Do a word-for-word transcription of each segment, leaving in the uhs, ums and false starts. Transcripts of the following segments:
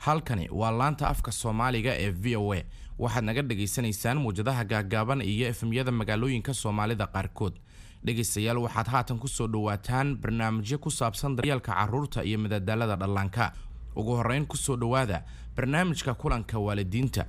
Halkani waa laanta afka Soomaaliga ee V O A. Waxaad naga dhagaysanaysaan muwjadaha gaaggaaban iyo F M-yada magaalooyinka Soomaalida qaarkood. Dhegaystayaal, waxaad haatan kusoo dhawaataan barnaamijyo ku saabsan daryeelka carruurta iyo madadaalada dhallaanka. Ugu horreyn, kusoo dhowaada barnaamijka kulanka waalidiinta.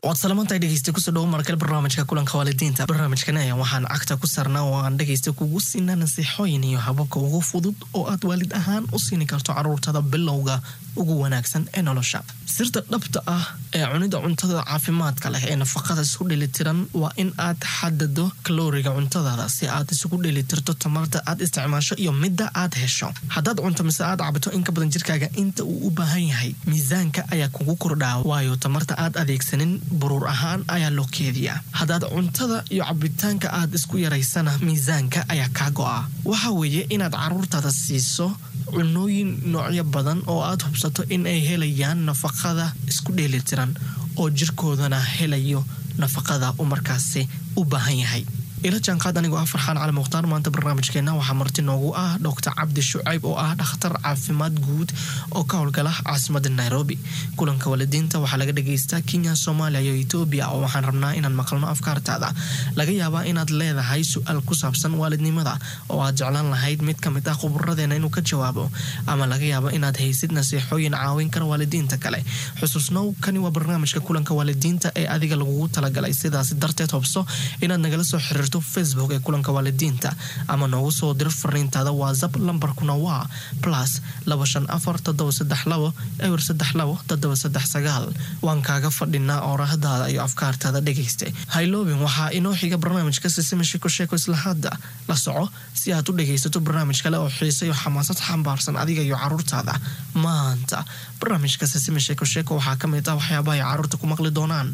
Waad salamantahay, dhegeysta. Kusoo dhawo markale barnaamijka kulanka waalidiinta. Barnaamijkan ayaa waxaan cagta ku saarnaa oo aan dhegeysta kugu siinaa nasiixooyin iyo hababka ugu fudud oo aad waalid ahaan u siini karto caruurtada bilowga ugu wanaagsan ee nolosha. Sirta dhabta ah ee cunida cuntada caafimaadka leh ee nafaqada isku dheelitiran waa in aad xadado kalooriga cuntadaada si aad isugu dheelitirto tamarta aad isticmaasho iyo midda aad hesho. Haddaad cunto mise aad cabto in ka badan jirkaaga inta uu u baahan yahay, miisaanka ayaa kugu kordhaa, waayo tamarta aad adeegsanin buruur ahaan ayaa loo keediyaa. Haddaad cuntada iyo cabitaanka aad isku yaraysana, miisaanka ayaa kaa go'a. Waxa weeye inaad caruurtaada siiso cunooyin noocyo badan oo aad hubsato in ay helayaan nafaqada isku dheelitiran oo jirkoodana helayo nafaqada uu markaasi u baahan yahay. Ila jaanqaad anigoo ah Farxaan Cali Mukhtaar. Maanta barnaamijkeena waxaa marti noogu ah Doctor Cabdi Shucayb oo ah dhakhtar caafimaad guud oo ka howlgala caasimada Nairobi. Kulanka waalidiinta waxaa laga dhageystaa Kenya, Soomaaliya iyo Etoobiya, oo waxaan rabnaa inaan maqalno afkaartaada. Laga yaabaa inaad leedahay su-aal ku saabsan waalidnimada oo aad jeclaan lahayd mid ka mid ah khuburadeena inuu ka jawaabo, ama laga yaabo inaad haysid nasiixooyin caawin kara waalidiinta kale. Xusuusnow, kani waa barnaamijka kulanka waalidiinta ee adiga lagugu talagalay. Sidaas darteed, hubso inaad nagala soo xiriirto Facebook ee kulanka waalidiinta ama noogu soo diro fariintaada WhatsApp. Lambarkuna waa plus laba shan afar toddoba saddex labo eber saddex labo toddoba saddex sagaal. Waan kaaga fadhinaa oorahdaada iyo afkaartaada. Dhegayste, hayloobin, waxaa inoo xiga barnaamijka Sisima Sheeko Sheeko. Isla hadda la soco si aad u dhegaysato barnaamij kale oo xiise iyo xamaasad xambaarsan adiga iyo caruurtaada. Maanta barnaamijka Sisima Sheeko Sheeko waxaa ka mid ah waxyaabaha ay caruurta ku maqli doonaan.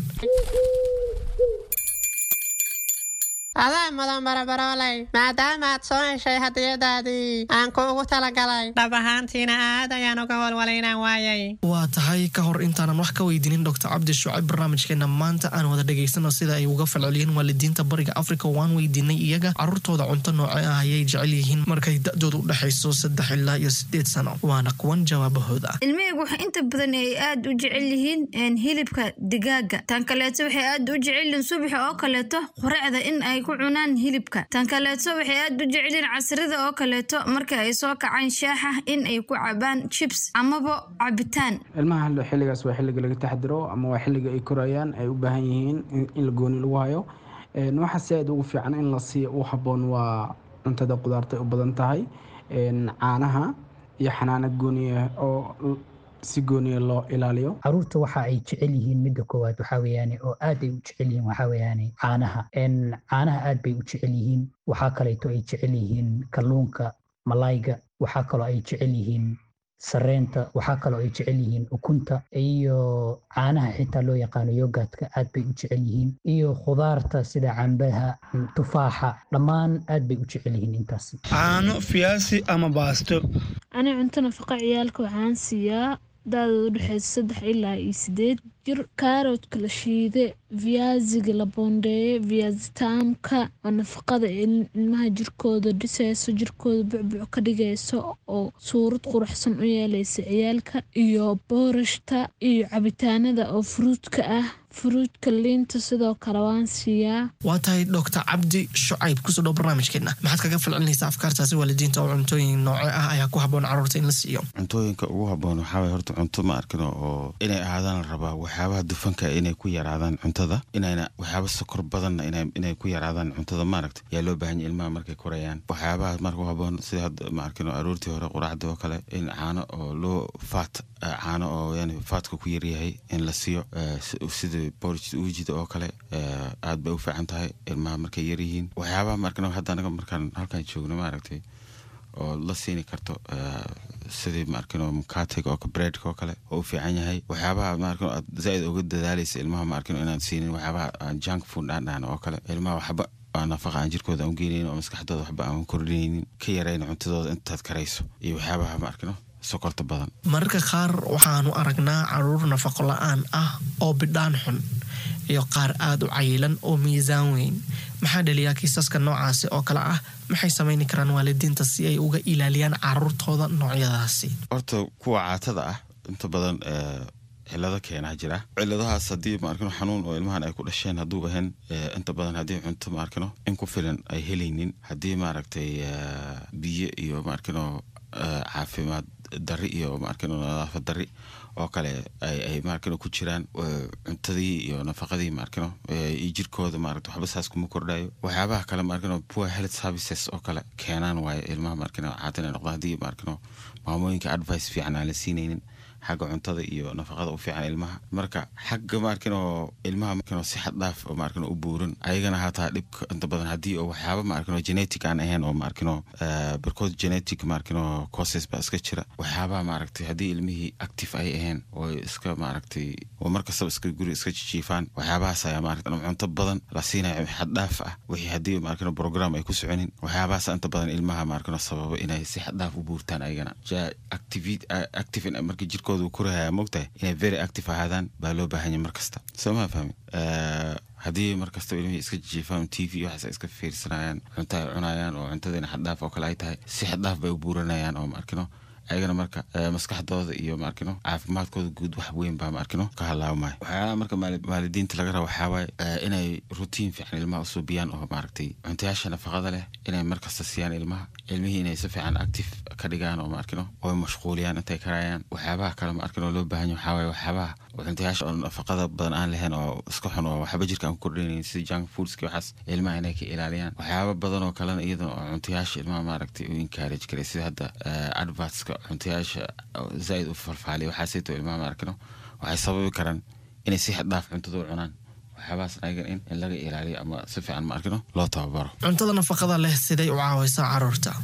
Adaa mudan, barabarooley, maadaama aad soo heshay hadiyadaadii aan kuugu talagalay. Dhab ahaantiina aad ayaan uga walwalay inaan waayay. Waa tahay. Ka hor intaanan wax ka weydiinin Doctor Cabdi Shucayb barnaamijkeena maanta, aan wada dhegaysano sida ay uga falceliyeen waalidiinta Bariga Africa. Waan weydiinay iyaga caruurtooda cunto nooce ah ayay jecel yihiin markay da-dooda u dhexayso saddex ilaa iyo sideed sano. Waana kuwan jawaabahooda. Ilmahaygu waxay inta badan ay aad u jecel yihiin hilibka digaaga. Tan kaleeto, waxay aad u jecel yihiin subaxa oo kaleeto quraacda in ay ku cunaan hilibka. Tan kaleeto, waxay aad u jecel yihiin casrida oo kaleeto marka ay soo kacaan shaaxa in ay ku cabaan chips amaba cabitaan. Ilmaha xilligaas waa xilliga laga taxadiro ama waa xilliga ay korayaan, ay u baahan yihiin in la gooni lagu hayo. Waxa si aad ugu fiican in la siiyo u habboon waa cuntada qudaarta ay u badan tahay, caanaha iyo xanaano gooniya oo si gooniya loo ilaaliyo. Caruurta waxa ay jecel yihiin, midda koowaad waxaa weeyaane oo aad ay u jecel yihiin, waxaa weeyaane caanaha. Caanaha aad bay u jecel yihiin. Waxaa kaleeto ay jecel yihiin kalluunka, malayga. Waxaa kaloo ay jecel yihiin sareenta. Waxaa kaloo ay jecel yihiin ukunta iyo caanaha xitaa loo yaqaano yogurtka, aad bay u jecel yihiin, iyo khudaarta sida cambaha, tufaaxa, dhammaan aad bay u jecel yihiin intaasi. Caano, fiyaasi ama baasto. Ani cunto nafaqa ciyaalka waxaan siiyaa da-dooda udhexeysa saddex ilaa iyo sideed jir kaaroodka la shiide, viaziga la boondeeye, viazi taamka oo nafaqada ilmaha jirkooda dhiseyso, jirkooda bucbuc ka dhigeyso oo suurad quruxsan u yeeleysa ciyaalka, iyo boorashta iyo cabitaanada oo fruitka ah, fruitka, liinta sidoo kale waan siiyaa. Waa tahay. Doctor Cabdi Shucayb, kusoo dhow barnaamijkeena. Maxaad kaga falcelinaysaa afkaartaasi waalidiinta oo cuntooyin nooce ah ayaa ku habboon caruurta in la siiyo? Cuntooyinka ugu habboon waxaa waye horta cunto, ma arkino, oo inay ahaadaan la rabaa waxyaabaha dufanka inay ku yaraadaan cuntada, inayna waxyaaba sokor badanna inay ku yaraadaan cuntada, maaragta, yaa loo baahan yahay ilmaha markay korayaan. Waxyaabaha marka u habboon sida hadda, ma arkino, aroortii hore quraacda oo kale in caano oo loo fat, caano oo yani fatka ku yaryahay in la siiyo, sida porridge uujida oo kale, aad bay u fiican tahay ilmaha markay yaryihiin. Waxyaabaha, ma arkino, hadda anaga markaan halkaan joogno, maaragtay, oo la siini karto sidii, ma arkino, mukatiga oo breadka oo kale oo u fiican yahay. Waxyaabaha, ma arkino, aad zaaid uga dadaalaysa ilmaha, ma arkino, inaan siinin waxyaabaha aan junk food aan dhahno oo kale, ilmaha waxba aan nafaqa aan jirkooda aan u geenaynin oo maskaxdooda waxba aan kordhinaynin. Ka yarayna cuntadooda intaad karayso iyo waxyaabaha, ma arkino, Sokorta badan. Mararka qaar waxaanu aragnaa caruur nafaqo la-aan ah oo bidhaan xun iyo qaar aada u cayilan oo miisaan weyn. Maxaa dhaliyaa kiisaska noocaasi oo kale ah? Maxay samayni karaan waalidiinta si ay uga ilaaliyaan caruurtooda noocyadaasi? Horta kuwa caatada ah inta badan cilado keenaa jira. Ciladahaas haddii, maarkino, xanuun oo ilmahan ay ku dhasheen hadduu ahayn, inta badan haddii cunto, maarkino, in ku filan ay helaynin, haddii, maaragtay, biyo iyo, maarkino, caafimaad dari iyo, maarkino, nadaafad dari oo kale ay ay maarkino ku jiraan cuntadii iyo nafaqadii, maarkino, iyo jirkooda, maaragta, waxba saas kuma kordhayo. Waxyaabaha kale, maarkino, poor health services oo kale keenaan waayo ilmaha, maarkino, caata inay noqdaan, haddii, maarkino, maamooyinka advice fiican aan la siinaynin xagga cuntada iyo nafaqada u fiican ilmaha. Marka xagga, maarkino, ilmaha, maarkino, si xad dhaaf oo, maarkino, u buuran ayagana hataa dhibka inta badan haddii oo waxyaaba, maarkino, genetic aan ahayn oo, maarkino, barkood genetic, maarkino, causes baa iska jira. Waxyaabaha, maaragtay, haddii ilmihii active ay ahayn oo iska, maaragtay, oo markastaba iska guri iska jijiifaan, waxyaabahaas ayaa, maaragtay, cunto badan la siinayo xad dhaaf ah, wixii haddii, maarkino, program ay ku soconin, waxyaabahaas inta badan ilmaha, maarkino, sababa inay si xad dhaaf u buurtaan ayagana. active active marka jirkooda uu korahaya, mogtahay, inay very active ahaadaan baa loo baahan yahay mar kasta. Soo ma fahmi? Haddii mar kastaba ilmihii iska jijiifaan, T V waxaas ay iska fiirsanayaan, cunto ay cunayaan oo cuntadiina xaddhaaf oo kale ay tahay, si xaddhaaf bay u buuranayaan oo, maarkino, ayagana marka maskaxdooda iyo, maarkino, caafimaadkooda guud wax weyn baa, maarkino, ka halaabmaya. Waxyaalaha marka waalidiinta laga raba waxaa waaye inay routine fiican ilmaha usuubiyaan oo, maaragtay, cuntayaasha nafaqada leh inay markasta siiyaan ilmaha, ilmihii inay si fiican active ka dhigaan oo, maarkino, oo mashquuliyaan intay karayaan. Waxyaabaha kale, maarkino, loo baahan yahay waxaa waaye waxyaabaha cuntayaasha oo nafaqada badan aan lahayn oo iska xun oo waxba jirka aan ku kordhinayn, sida junk foodski, waxaas ilmaha inay ka ilaaliyaan. Waxyaaba badan oo kalena iyadana oo cuntayaasha ilmaha, maaragtay, u encourage karay, sida hadda advertska cuntayaasha zaaid u falfaaliya, waxaasayto ilmaha, maarkino, waxay sababi karaan inay si xad dhaaf cuntada u cunaan. Waxyaabahaas ayagan in in laga ilaaliyo ama si fiican, maarkino, loo tababaro. Cuntada nafaqada leh siday u caawaysaa caruurta?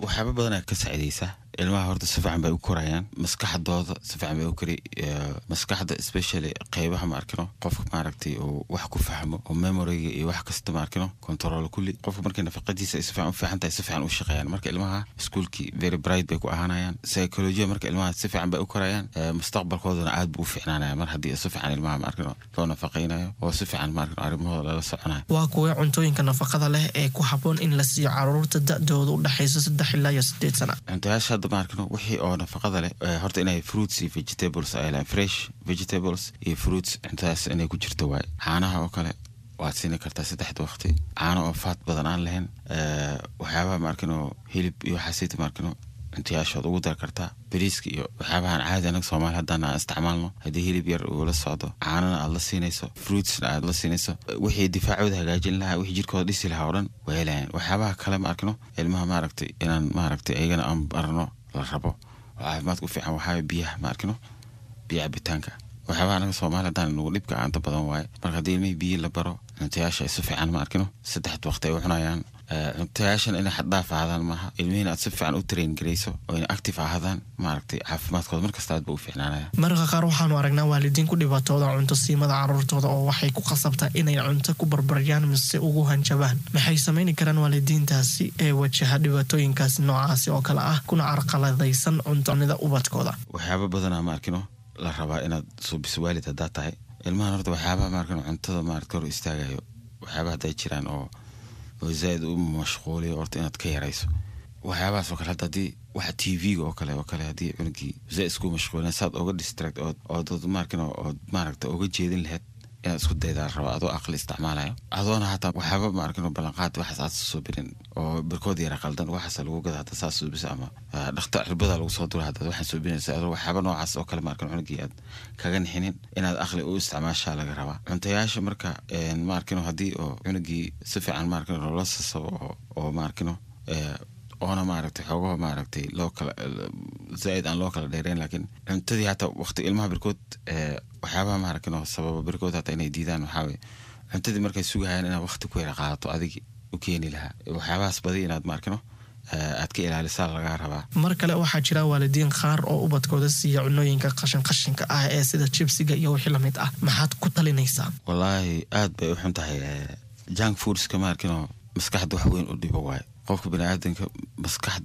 Waxyaaba badanaa ka saacidaysa ilmaha. Horta si fiican bay u korayaan, maskaxdooda si fiican bay u kori, maskaxda especially qeybaha, maarkino, qofka, maaragtay, uu wax ku fahmo oo memoryga iyo wax kasta, maarkino, control kulli. Qofka markay nafaqadiisa ay si fiican u fiican tahay, si fiican u shaqeeyaan. Marka ilmaha iskuulkii very bright bay ku ahaanayaan, psychology marka ilmaha si fiican bay u korayaan, mustaqbalkoodana aad buu u fiicnaanaya mar haddii si fiican ilmaha, maarkino, loo nafaqaynayo oo si fiican, maarkino, arrimahooda lala soconayo. Waa kuwee cuntooyinka nafaqada leh ee ku habboon in la siiyo caruurta da-dooda u dhexayso saddex ilaa iyo sideed sana? Cuntayaasha hadda, maarkino, wixii oo nafaqada leh, horta inay fruits iyo vegetables ay lahayn, fresh vegetables iyo fruits, cuntadaas inay ku jirto waaye. Caanaha oo kale waad siini kartaa saddexda waqti, caano oo fat badan aan lahayn. Waxyaabaha, maarkino, hilib iyo waxaasayta, maarkino, cuntayaashood ugu dar kartaa. Bariiska iyo waxyaabahan caadi anaga Soomaali haddaan aan isticmaalno, haddii hilib yar uu la socdo, caanana aad la siinayso, fruitsna aad la siinayso, wixii difaacooda hagaajin lahaa, wixii jirkooda dhisi lahaa oo dhan way helayaan. Waxyaabaha kale, ma arkino, ilmaha, maaragtay, inaan, maaragtay, ayagana aan barno la rabo oo caafimaadka u fiican waxaa biyaha, ma arkino, biyo cabitaanka. Waxyaabaha anaga Soomaali haddaan nagu dhibka aanta badan waaye. Marka haddii ilmihii biyo la baro, cuntayaasha ay si fiican, ma arkino, saddexda waqti ay u cunayaan, cuntayaashan inay xaddhaaf ahaadaan maaha, ilmihiina aad si fiican u train garayso oo inay active ahaadaan, maaragtay, caafimaadkooda markasta aad ba u fiicnaanaya. Mararka qaar waxaanu aragnaa waalidiin ku dhibaatooda cunto siimada caruurtooda oo waxay ku khasabtaa inay cunto ku barbaryaan mise ugu hanjabaan. Maxay samayni karaan waalidiintaasi ee wajaha dhibaatooyinkaasi noocaasi oo kale ah kuna carqaladaysan cuntonida ubadkooda? Waxyaaba badanaa, ma arkino, la rabaa inaad suubiso waalid haddaa tahay ilmahan. Horta waxyaabaha, maarkino, cuntada, maaragta, hor istaagayo, waxyaabaha hadday jiraan oo oo zaaid u mashquuliyo, horta inaad ka yarayso waxyaabahaas oo kale. Hadda haddii waxa T V-ga oo kale oo kale haddii cunugii zaaid isku mashquulina, saad oga distract ood ood maarkino ood, maaragta, oga jeedin lahayd inaad isku daydaa la rabaa, adoo aqli isticmaalayo, adoona hataa waxyaaba, maarkino, ballanqaad waxaas aad soo birin oo barkood yara qaldan waxaas lagu gada hadda saas suubisa ama dhakta cirbada lagu soo dura haddaad waxaan suubinaysa, adoo waxyaaba noocaas oo kale, maarkin, cunugii aad kaga nixinin, inaad aqli u isticmaashaa laga rabaa cuntayaasha. Marka, maarkino, haddii oo cunugii si fiican, maarkino, loola sasabo oo oo maarkino oona, maaragtay, xoogaha, maaragtay, loo kala zaaid aan loo kala dheereyn, laakiin cuntadii hataa waqti ilmaha barkood waxyaabaha, maaragtay, sababa barkood hataa inay diidaan waxaa weye cuntadii markay sugahayaan inaad waqti ku yara qaadato adigi u keeni lahaa. Waxyaabahaas badi inaad, maarkino, aad ka ilaalisaa lagaa rabaa. Mar kale waxaa jira waalidiin qaar oo ubadkooda siiya cunooyinka qashin qashinka ah ee sida jibsiga iyo wixii lamid ah. Maxaad ku talinaysaa? Wallaahi aad bay u xun tahay junk foodska, maarkino, maskaxda wax weyn u dhibo waaye qofka biniaadanka maskaxda.